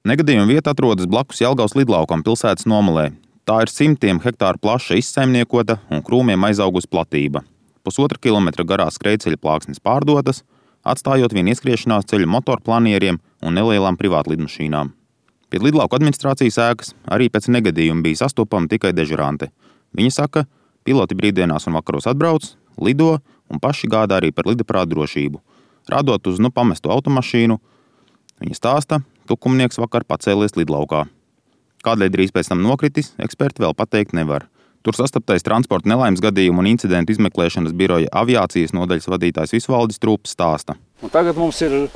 Negadījuma vieta atrodas blakus Jelgavas lidlaukam pilsētas nomalē. Tā ir 100 hektāru plaša izsaimniekota un krūmiem aizaugusi platība. 1,5 kilometra garā skrejceļa plāksnes pārdotas, atstājot vien ieskriešanās ceļu motorplanieriem un nelielām privātlidmašīnām. Pie lidlauka administrācijas ēkas arī pēc negadījuma bija sastopama tikai dežurante. Viņa saka, piloti brīvdienās un vakaros atbrauc, lido un paši gādā arī par lidaparātu drošību. Rādot uz pamestu automašīnu, viņa stāsta, tukumnieks vakar pacēlies lidlaukā. Kādēļ drīz pēc tam nokritis, eksperti vēl pateikt nevar. Tur sastaptais transporta nelaimes gadījumu un incidentu izmeklēšanas biroja aviācijas nodaļas vadītājs Visvaldis Trūps stāsta. Un tagad mums ir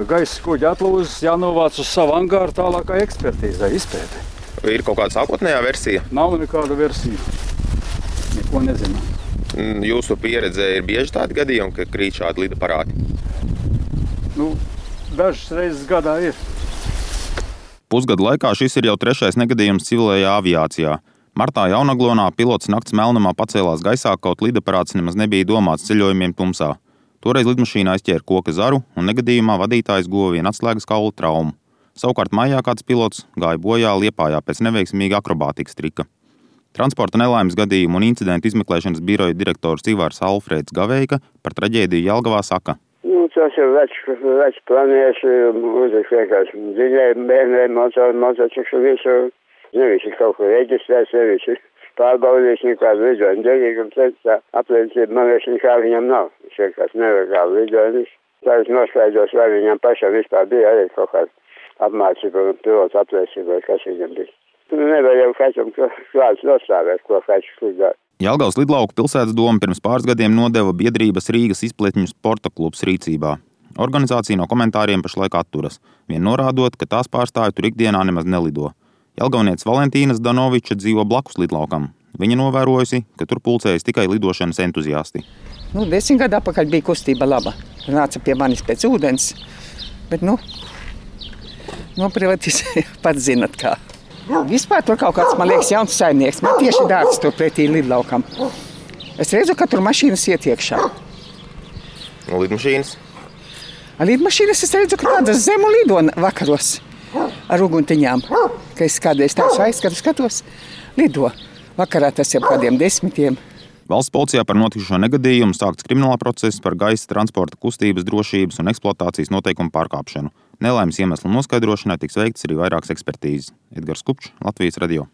gaisa kuģa atlūzas jānovāc uz savu angāru tālākai ekspertīzai, izpētē. Ir kaut kāda sākotnējā versija? Nav nekāda versija. Neko nezinām. Jūsu pieredzē ir bieži tādi gadījumi, ka krīt šādi lidaparāti? Dažas reizes gadā ir. Pusgadu laikā šis ir jau 3. negadījums civilajā aviācijā. Martā Jaunaglonā pilots nakts melnumā pacēlās gaisā, kaut lidaparāts nemaz nebija domāts ceļojumiem tumsā. Toreiz lidmašīnā aizķēra koka zaru un negadījumā vadītājs guva vienu atslēgas kaula traumu. Savukārt maijā kāds pilots gāja bojā Liepājā pēc neveiksmīga akrobātikas trika. Transporta nelaimes gadījumu un incidentu izmeklēšanas biroja direktors Ivars Alfrēds Gaveika par traģēdiju Jelgavā saka. Tas ir vecs planieši, uzliks vienkārši dziļēji bērniem, motociklu visu. Nevis ir kaut ko reģistrēts, nevis ir pārbaudījis nekādu lidojumu derīgumu. Tā apliecība man vairs nekā viņam nav. Viņš vienkārši nelegāli lidojumus. Tagad noskaidros, vai viņam pašam vispār bija arī kaut kāda apmācība un pilotu apliecība, vai kas viņam bija. Nevar jau kaķam klāts nostāvēt, ko kaķis lidāt. Jelgavas lidlauku pilsētas doma pirms pāris gadiem nodeva biedrības Rīgas izpletņu sporta klubs rīcībā. Organizācija no komentāriem pašlaik atturas, vien norādot, ka tās pārstāvji tur ikdienā nemaz nelido. Jelgavnieces Valentīna Zdanoviča dzīvo blakus lidlaukam. Viņa novērojusi, ka tur pulcējas tikai lidošanas entuziasti. 10 gadu atpakaļ bija kustība laba. Nāca pie manis pēc ūdens, bet noprivatizēja, pats zinat kā. Vispār tur kaut kāds, man liekas, jauns saimnieks. Man tieši dārgs tur pretī lidlaukam. Es redzu, ka tur mašīnas iet iekšā. Lidmašīnas? Lidmašīnas es redzu, ka tādas zemu lido vakaros ar uguntiņām. Ka es kādreiz tādu skatos, lido. Vakarā tas jau kādiem 10. Valsts policijā par notikušo negadījumu sākts krimināla process par gaisa transporta kustības drošības un eksploatācijas noteikumu pārkāpšanu. Nelaimes iemeslu noskaidrošanai tiks veikts arī vairākas ekspertīzes. Edgars Kupčs, Latvijas radio.